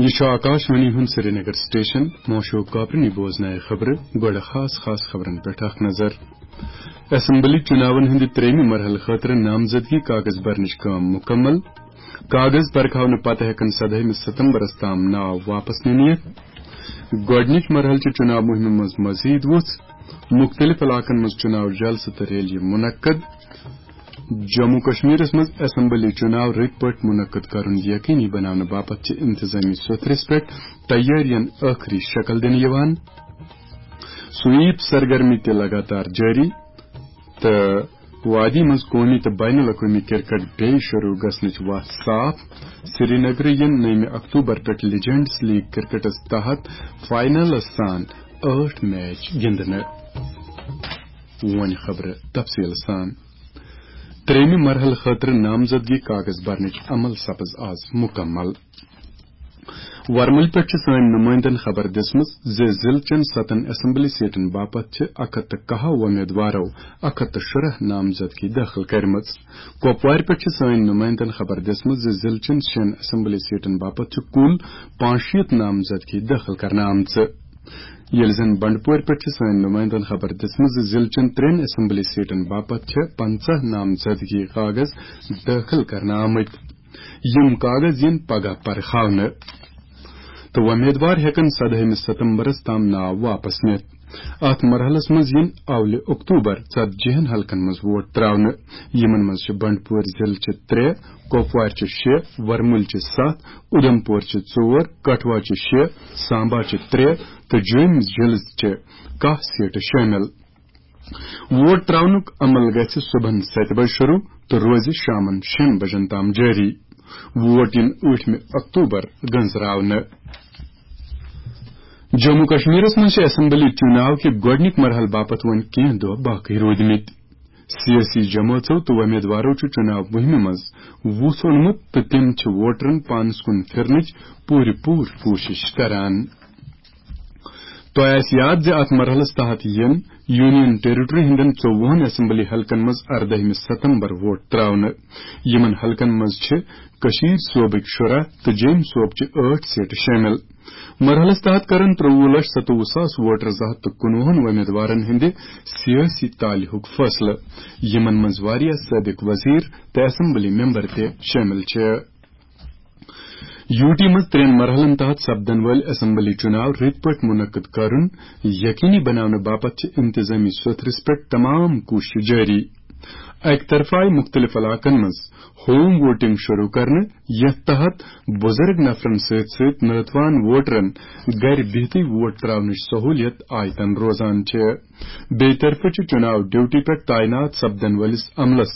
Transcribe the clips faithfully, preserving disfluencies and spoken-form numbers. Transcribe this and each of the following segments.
یہِ چھُ آکاشوانی ہُنٛد سرینگر سٹیشن۔ موشو کاپرنی بوزنایہِ خبرٕ۔ گۄڈٕ خاص خاص خبرن پٮ۪ٹھ اکھ نظر۔ اسمبلی چُناون ہٕنٛدِ ترٛیٚیمہِ مرحلہٕ خٲطرٕ نامزدگی کاغذ برنٕچ کٲم مُکمل۔ کاغذ پرکھاونہٕ پتہٕ ہٮ۪کن سدٲہمہِ ستمبرس تام ناو واپس نِنہٕ یِتھ۔ گۄڈٕنِچ مرحلہٕ چہِ چُناو مُہِمہِ منٛز مزید وُژھ۔ مُختٔلِف علاقن منٛز چُناو جلسہٕ تہٕ ریلیہِ مُنعقد۔ جموں کشمیرس منٛز اسمبلی چُناو رٕتۍ پٲٹھۍ مُنعقد کرُن یقینی بناونہٕ باپتھ چھِ انتظامی سوٚتھرِس پٮ۪ٹھ تیٲرین ٲخری شکل دِنہٕ یِوان۔ سویپ سرگرمی تہِ لگاتار جٲری تہٕ وادی منٛز قومی تہٕ بین الاقوٲمی کرکٹ بیٚیہِ شروع گژھنٕچ وتھ صاف۔ سرینگرٕ یِن نٔیمہِ اکتوبر پٮ۪ٹھ لیجنڈز لیگ کرکٹس تحت فائنلس سان ٲٹھ میچ گِنٛدنہٕ۔ وۄنۍ خبرٕ تفصیل سان۔ ترٛیٚیمہِ مرحلہٕ خٲطرٕ نامزدگی کاغذ برنٕچ عمل سپٕز آز مُکمل۔ ورمُلہِ پٮ۪ٹھ چھِ سٲنۍ نُمٲیندن خبر دِژمٕژ زِ ضلعہٕ چٮ۪ن ستن اسمبلی سیٹن باپتھ چھِ اکھ ہتھ تہٕ کاہ وۄمیدوارو اکھ ہتھ تہٕ شُراہ نامزدگی دٲخل کٔرمٕژ۔ کۄپوارِ پٮ۪ٹھ چھِ سٲنۍ نُمٲیندن خبر دِژمٕژ زِ ضلعہٕ چٮ۪ن شٮ۪ن اسمبلی سیٹن باپتھ چھِ کُل پانٛژشیٖتھ نامزدگی دٲخل کرنہٕ آمژٕ۔ ییٚلہِ زن بنڈپورِ پٮ۪ٹھ چھِ سٲنۍ نُمٲیندن خبر دِژمٕژ زِ ضلعہٕ چٮ۪ن ترٛٮ۪ن اسمبلی سیٹن باپتھ چھِ پنژاہ نامزدگی کاغذ دٲخل کرنہٕ آمٕتۍ۔ یِم کاغذ یِن پگاہ پرکھاونہٕ تہٕ وۄمیدوار ہٮ۪کن سدٲہمہِ ستمبرس تام ناو واپس نِتھ۔ اتھ مرحلس منٛز یِن اولہِ اکتوبر ژتجی ہن حلقن منٛز ووٹ تراونہٕ۔ یِمن منٛز چھِ بنڈپورِ ضلعہٕ چہِ ترٛےٚ، کۄپوارِ چہِ شےٚ، ورمُلہِ چہِ ستھ، اُدھمپور چہِ ژور، کٹھوا چہِ شےٚ، سامبا چہِ ترٛےٚ تہٕ جوٚمۍ ضلعہٕ چہِ کاہ سیٹہٕ شٲمِل۔ ووٹ تراونُک عمل گژھِ صبحن ستہِ بجہِ شروع تہٕ روزِ شامن شیٚن بجن تام جٲری۔ ووٹ یِن ٲٹھمہِ اکتوبر گنزراونہٕ۔ جموں کشمیرس منٛز چھِ اسمبلی چُناو کہِ گۄڈٕنِکۍ مرحلہٕ باپتھ وۄنۍ کینٛہہ دۄہ باقٕے روٗدمٕتۍ۔ سیٲسی جمٲژو تہٕ وۄمیدوارو چھُ چُناو مُہِمہِ منٛز وُژھ اوٚنمُت تہٕ تِم چھِ ووٹرن پانس کُن پھِرنٕچ پوٗرٕ پوٗرٕ کوٗشِش کران۔ تۄہہِ آسہِ یاد زِ اتھ مرحلس تحت یِن یونین ٹیریٹری ہٕنٛدٮ۪ن ژوٚوُہن اسمبلی حلقن منٛز اردٲہمہِ ستمبر ووٹ تراونہٕ۔ یِمن حلقن منٛز چھِ کٔشیٖر صوبٕکۍ شُراہ تہٕ جیٚمۍ صوبچہِ ٲٹھ سیٹہٕ شٲمِل۔ مرحلس تحت کرن ترٛوٚوُہ لچھ ستووُہ ساس ووٹر زٕ ہتھ تہٕ کُنوُہن وۄمیدوارن ہٕنٛدِ سیٲسی تالہِ ہُک فٲصلہٕ، یِمن منٛز واریاہ سٲبق وزیر تہٕ اسمبلی ممبر تہِ شٲمِل چھِ۔ یوٗ ٹی منٛز ترٛٮ۪ن مرحلن تحت سپدن وٲلۍ اسمبلی چُناو رٕتۍ پٲٹھۍ مُنعقد کرُن یقینی بناونہٕ باپتھ چھِ انتظامی سوٚتھرِس پٮ۪ٹھ تمام کوٗششہٕ جٲری۔ اکہِ طرفہٕ آیہِ مُختٔلِف علاقن منٛز ہوم ووٹنگ شروع کرنہٕ، یتھ تحت بُزرگ نفرن سۭتۍ سۭتۍ ناتوان ووٹرن گرِ بِہتٕے ووٹ تراونٕچ سہوٗلیت آیتن روزان چھِ۔ بیٚیہِ طرفہٕ چھُ چُناو ڈیوٹی پٮ۪ٹھ تعینات سپدن وٲلِس عملس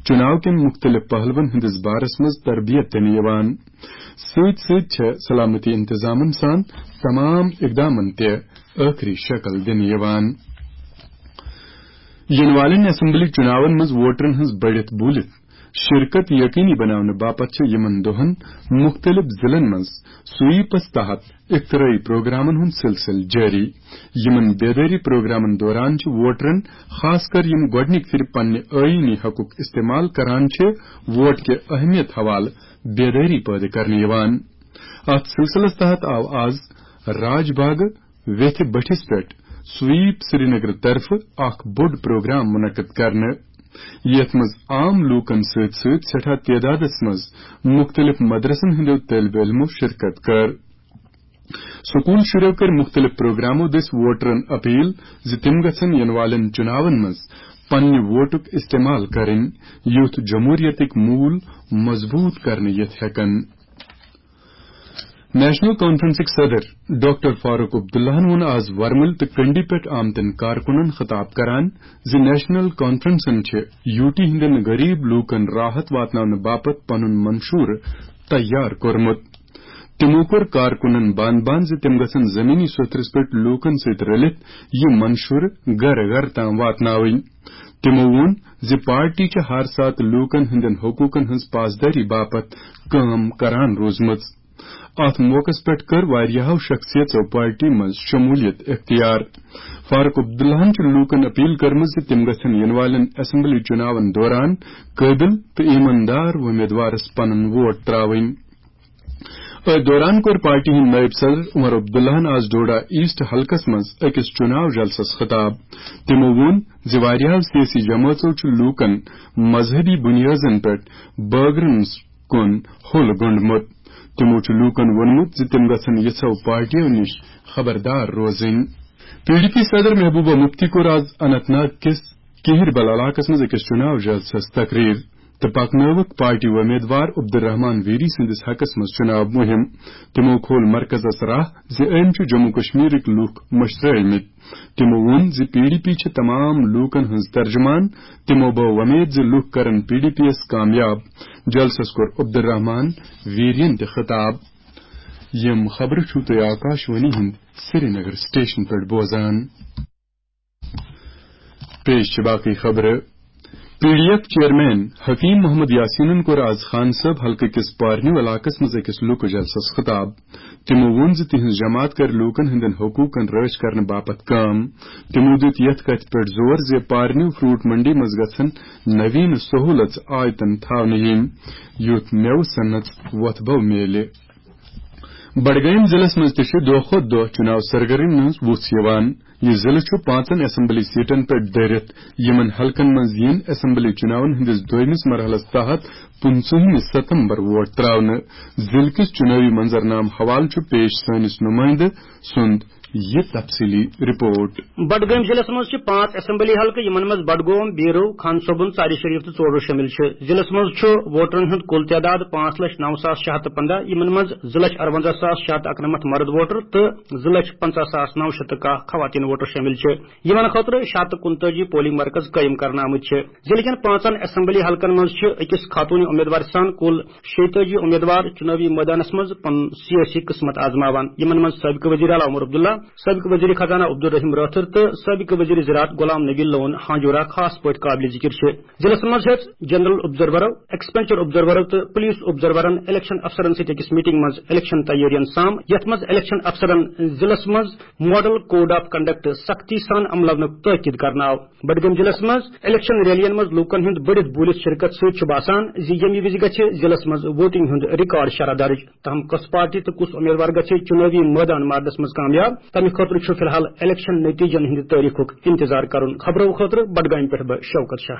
چُناو کٮ۪ن مُختٔلِف پہلوَن ہٕنٛدِس بارس منٛز تربیت دِنہٕ یِوان۔ سۭتۍ سۭتۍ چھےٚ سلامتی انتظامن سان تمام اقدامن تہِ ٲخری شکل دِنہٕ یِوان۔ یِنہٕ والٮ۪ن اسمبلی چُناون منٛز ووٹرن ہٕنٛز بٔڑِتھ بوٗلِتھ شرکت یقینی بناونہٕ باپتھ چھِ یِمن دۄہن مُختٔلِف ضلعن منٛز سویپس تحت اختراعی پروگرامن ہُنٛد سلسلہٕ جٲری۔ یِمن بیدٲری پروگرامن دوران چھِ ووٹرن، خاص کر یِم گۄڈٕنِکۍ پھِرِ پننہِ ٲیٖنی حقُک استعمال کران چھِ، ووٹ کہِ اہمیت حوالہٕ بیدٲری پٲدٕ کرنہٕ یِوان۔ اتھ سلسلس تحت آو آز راج باغ ویتھِ بٔٹھِس پٮ۪ٹھ سویپ سرینگر طرفہٕ اکھ بوٚڑ پروگرام منعقد کرنہٕ، یتھ منٛز عام لوٗکن سۭتۍ سۭتۍ سٮ۪ٹھاہ تعدادس منٛز مُختٔلِف مدرسن ہٕنٛدیو طٲلبہِ علمو شرکت کٔر۔ سکوٗل شُرٮ۪و کٔرۍ مُختٔلِف پروگرامو دٔسۍ ووٹرن اپیل زِ تِم گژھن یِنہٕ والٮ۪ن چُناون منٛز پننہِ ووٹُک استعمال کرٕنۍ، یُتھ جمہوریتٕکۍ موٗل مضبوٗط کرنہٕ یِتھ ہٮ۪کن۔ نیشنل کانفرنسٕکۍ صدر ڈاکٹر فاروق عبداللہن ووٚن آز ورمُل تہٕ کنڈی پٮ۪ٹھ آمتٮ۪ن کارکُنن خطاب کران زِ نیشنل کانفرنسن چھِ یوٗ ٹی ہٕنٛدٮ۪ن غریب لوٗکن راحت واتناونہٕ باپتھ پنُن منشورٕ تیار کوٚرمُت۔ تِمو کوٚر کارکُنن بند بند زِ تِم گژھن زمینی سوٚتھرِس پٮ۪ٹھ لوٗکن سۭتۍ رلِتھ یہِ منشورٕ گرٕ گرٕ تام واتناوٕنۍ۔ تِمو ووٚن زِ پارٹی چھِ ہر ساتہٕ لوٗکن ہٕنٛدٮ۪ن حقوٗقن ہٕنٛز پاسدٲری باپتھ کٲم کران روٗزمٕژ۔ اتھ موقعس پٮ۪ٹھ کٔر واریاہو شخصیژو پارٹی منٛز شمولیت اختیار۔ فاروق عبداللہن چھِ لوٗکن اپیل کٔرمٕژ زِ تِم گژھن یِنہٕ والٮ۪ن اسمبلی چُناون دوران قٲبل تہٕ ایماندار وۄمیدوارس پنُن ووٹ تراوٕنۍ۔ أتھۍ دوران کوٚر پارٹی ہٕنٛدۍ نٲیِب صدر عمر عبداللہَن آز ڈوڈا ایسٹ حلقس منٛز أکِس چُناو جلسس خطاب۔ تِمو ووٚن زِ واریاہو سیٲسی جمٲژو چھُ لوٗکن مذہبی بُنیٲدن پٮ۪ٹھ بٲگرن کُن حُل گوٚنڈمُت۔ تِمو چھُ لوٗکن ووٚنمُت زِ تِم گژھن یِژھو پارٹیو نِش خبردار روزٕنۍ۔ پی ڈی پی صدر محبوبہ مفتی کوٚر آز اننت ناگ کِس کِہِر بل علاقس منٛز أکِس چُناو جلسس تقریر تہٕ پکنٲوٕکھ پارٹی امیدوار عبدالرحمان ویری سٕنٛدِس حقس منٛز چُناو مُہِم۔ تِمو کھول مرکزس راہ زِ أمۍ چھُ جموں کشمیرٕکۍ لوٗکھ مٔشرٲومٕتۍ۔ تِمو ووٚن زِ پی ڈی پی چھِ تمام لوٗکن ہٕنٛز ترجمان۔ تِمو بٲو وۄمید زِ لوٗکھ کرن پی ڈی پی یَس کامیاب۔ جلسس کوٚر عبدالرحمان ویرین تہِ خطاب۔ یِم خبرٕ چھِو تُہۍ آکاش وانی ہٕنٛدِ سرینگر سٹیشن پٮ۪ٹھ بوزان۔ پیش چھِ باقٕے خبرٕ۔ P D F chairman Hakim Muhammad یاسینن کوٚر آز خان صٲب حلقہٕ کِس پارنیو علاقس منٛز أکِس لُکہٕ جلسس خطاب۔ تِمو ووٚن زِ تِہنٛز جماعت کرِ لوٗکن ہٕنٛدٮ۪ن حقوٗقن رٲچھ کرنہٕ باپتھ کٲم۔ تِمو دیُت یتھ کتھِ پٮ۪ٹھ زور زِ پارنیو فروٹ منڈی منٛز گژھن نوین سہولژ آیتن تھاونہٕ یِنۍ، یُتھ مٮ۪وٕ صنعتس وۄتھٕ بو میلہِ۔ بڈگٲمۍ ضلعس منٛز تہِ چھِ دۄہ کھۄتہٕ دۄہ چُناو سرگرمی منٛز وُژھ یِوان۔ یہِ ضلعہٕ چھُ پانٛژن اسمبلی سیٹن پٮ۪ٹھ دٲرِتھ۔ یِمن حلقن منٛز یِن اسمبلی چُناون ہٕنٛدِس دوٚیمِس مرحلس تحت پٕنٛژٕہمہِ ستمبر ووٹ ترٛاونہٕ۔ ضلعہٕ کِس چُنٲوی منظرنامہٕ حوالہٕ چھُ پیش سٲنِس نُمٲیندٕ سُنٛد یہِ تفصیٖلی رپورٹ۔ بڈگٲمۍ ضلعس منٛز چھِ پانٛژھ اسمبلی حلقہٕ، یِمن منٛز بڈگوم، بیرو، خان صٲبُن، ژارِ شریف تہٕ ژوڈو شٲمِل چھِ۔ ضلعس منٛز چھُ ووٹرن ہُنٛد کُل تعداد پانٛژھ لچھ نو ساس شےٚ ہتھ تہٕ پنٛداہ، یِمن منٛز زٕ لچھ ارونزہ ساس شےٚ ہتھ تہٕ اکنمتھ مرد ووٹر تہٕ زٕ لچھ پنٛژاہ ساس نو شیٚتھ تہٕ کاہ خواتین ووٹر شٲمِل چھِ۔ یِمن خٲطرٕ شےٚ ہتھ تہٕ کُنتٲجی پولنگ مرکز قٲیِم کرنہٕ آمٕتۍ چھِ۔ ضلعہٕ کٮ۪ن پانٛژن اسمبلی حلقن منٛز چھِ أکِس خاتوٗنہِ امیدوارِ سان کُل شیٚیہِ تٲجی امیدوار چُنٲوی مٲدانس منٛز پنُن سیٲسی قٕسمت آزماوان، یِمن منٛز سٲبقہٕ وزیر اعلیٰ عمر عبداللہ، سٲبقہٕ وزیر خزانہ عبدالرحیم رٲتھٕر تہٕ سٲبقہٕ وزیر زراعت غلام نبی لون ہانجورہ خاص پٲٹھۍ قابلِ ذِکِر چھِ۔ ضلعس منٛز ہیٚژ جنرل آبزرورو، ایکسپینڈچر آبزرورو تہٕ پولیس آبزرورن الیکشن افسرن سۭتۍ أکِس میٹنگ منٛز الیکشن تیٲرین سام، یتھ منٛز الیکشن افسرن ضلعس منٛز ماڈل کوڈ آف کنڈکٹ سختی سان عملاونُک تاکید کرنہٕ آو۔ بڈگٲمۍ ضلعس منٛز الیکشن ریلین منٛز لوٗکن ہُنٛد بٔڑِتھ بوٗلِتھ شرکت سۭتۍ چھُ باسان زِ ییٚمہِ وِزِ گژھِ ضلعس منٛز ووٹنگ ہُنٛد ریکارڈ شرح درج۔ تاہم کۄس پارٹی تہٕ کُس امیدوار گژھِ چُنٲوی مٲدان مارنس منٛز کامیاب، تمہِ خٲطرٕ چھُ فی الحال الیکشن نتیجن ہٕنٛدِ تٲریخُک انتظار کرُن۔ خبرو خٲطرٕ بڈگامہِ پٮ۪ٹھ بہٕ شوکت شاہ۔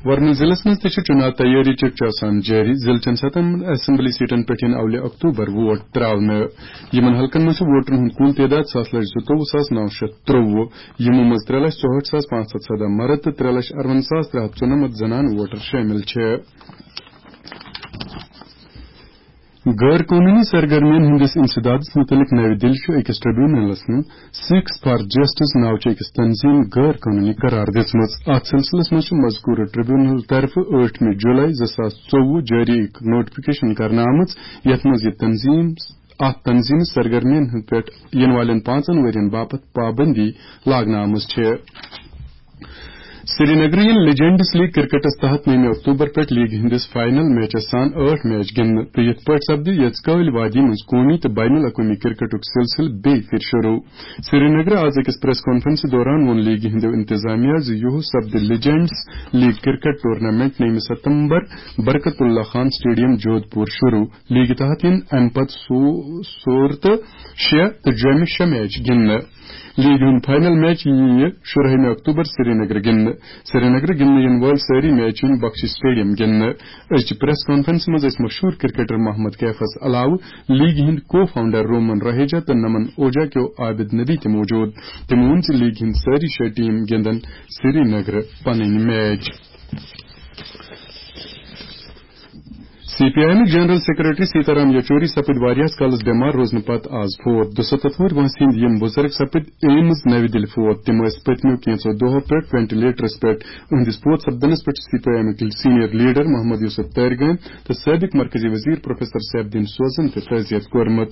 ورمُل ضلعس منٛز تہِ چھِ چُناو تیٲری چِٹھ چاسان جٲری۔ ضلعہٕ چٮ۪ن ستن اسمبلی سیٹن پٮ۪ٹھ یِن اولہِ اکتوبر ووٹ ترٛاونہٕ۔ یِمن حلقن منٛز چھُ ووٹرن ہُنٛد کُل تعداد ستھ لچھ زٕتووُہ ساس نو شیٚتھ ترٛووُہ۔ یِمو منٛز ترٛےٚ لچھ ژُہٲٹھ ساس پانٛژھ ہتھ سداہ مرد تہٕ ترٛےٚ لچھ ارون ساس ترٛےٚ ہتھ ژُنمتھ زنانہٕ ووٹر شٲمِل چھِ۔ غٲر قونوٗنی سرگرمین ہٕنٛدِس انسدادس مُتعلق نَوِ دِلہِ چھُ أکِس ٹریبونلس منٛز سکس فار جسٹس ناوچہِ أکِس تنظیٖم غٲر قونوٗنی قرار دِژمٕژ۔ اتھ سلسلس منٛز چھُ مذکورٕ ٹریبونل طرفہٕ ٲٹھمہِ جولائی زٕ ساس ژوٚوُہ جٲری أکۍ نوٹیفکیشن کرنہٕ آمٕژ، یتھ منٛز یہِ تنظیٖم اتھ تنظیٖمس سرگرمین ہٕنٛدِ پٮ۪ٹھ یِنہٕ والٮ۪ن پانٛژن ؤرین باپتھ پابندی لاگنہٕ آمٕژ چھِ۔ سرینگرٕ یِن لیجنڈز لیگ کرکٹس تحت نٔومہِ اکتوبر پٮ۪ٹھ لیگہِ ہٕنٛدِس فاینل میچس سان ٲٹھ میچ گِنٛدنہٕ تہٕ یِتھ پٲٹھۍ سپدِ یژکٲلۍ وادی منٛز قومی تہٕ بین الاقوٲمی کرکٹُک سلسلہٕ بیٚیہِ پھِرِ شروٗع۔ سرینگرٕ آز أکِس پریس کانفرنسہِ دوران ووٚن لیگہِ ہٕنٛدیو انتظامیہ زِ یِہُس سپدِ لیجنڈز لیگ کرکٹ ٹورنامنٹ نٔومہِ ستمبر برکت اللہ خان سٹیڈیم جودھ پور شروٗع۔ لیگہِ تحت یِن امہِ پتہٕ سو-، سور تہٕ شےٚ تہٕ جوٚمہِ شےٚ میچ گِنٛدنہٕ۔ لیگہِ ہُنٛد فاینل میچ یِیہِ شُرہٲیمہِ اکتوبر سرینگرٕ گِنٛدنہٕ۔ سرینگرٕ گِنٛدنہٕ یِنہٕ وٲلۍ سٲری میچ یِن بخشی سٹیڈیم گِنٛدنہٕ۔ أزچہِ پریس کانفرنسہِ منٛز ٲسۍ مشہوٗر کرکٹر محمد کیفس علاوٕ لیگہِ ہٕنٛدۍ کو فاؤنڈر رومن رہیجا تہٕ نمن اوجا کیو عابد نبی تہِ موجود۔ تِمو ووٚن زِ لیگہِ ہٕنٛدۍ سٲری شےٚ ٹیم گِنٛدن سرینگرٕ پنٕنۍ میچ۔ سی پی آئی ایمٕکۍ جنرل سیکرٹری سیتارام یچوری سپٕدۍ واریاہس کالس بٮ۪مار روزنہٕ پتہٕ آز فوت۔ دُسَتتھ وُہُر وٲنٛسہِ ہٕنٛدۍ یِم بُزرگ سپٕدۍ ایمز نَوِ دِلہِ فوت۔ تِم ٲسۍ پٔتمیو کینٛژو دۄہو پٮ۪ٹھ وینٹیلیٹرس پٮ۪ٹھ۔ أہٕنٛدِس فوت سپدنس پٮ۪ٹھ چھِ سی پی آئی ایمٕکۍ سینئر لیڈر محمد یوسف تارگٲمۍ تہٕ سٲبق مرکزی وزیر پروفیسر سیف الدین سوزن تہِ تعزیت کوٚرمُت۔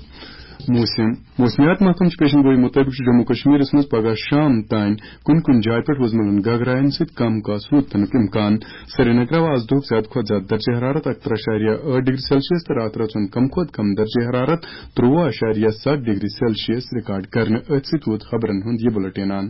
موسم۔ موسمیات محکمہٕ چہِ پیشن گویی مُطٲبِق چھُ جموں کشمیرس منٛز پگاہ شام تام کُنہِ کُنہِ جایہِ پٮ۪ٹھ وُزملن گگراین سۭتۍ کم کاسہٕ روٗد پینُک امکان۔ سرینگرٕ آو آز دۄہُک زیادٕ کھۄتہٕ زیادٕ درجہ حرارت اکہٕ ترٕہ اَشاریہ ٲٹھ ڈگری سیلسیس تہٕ راتہٕ رژ ہُنٛد کم کھۄتہٕ کم درجہ حرارت ترٛوُہ اَشاریہ ستھ ڈگری سیلسیس ریکارڈ کرنہٕ۔ أتھۍ سۭتۍ ووت خبرن ہُنٛد یہِ بُلٹن اند۔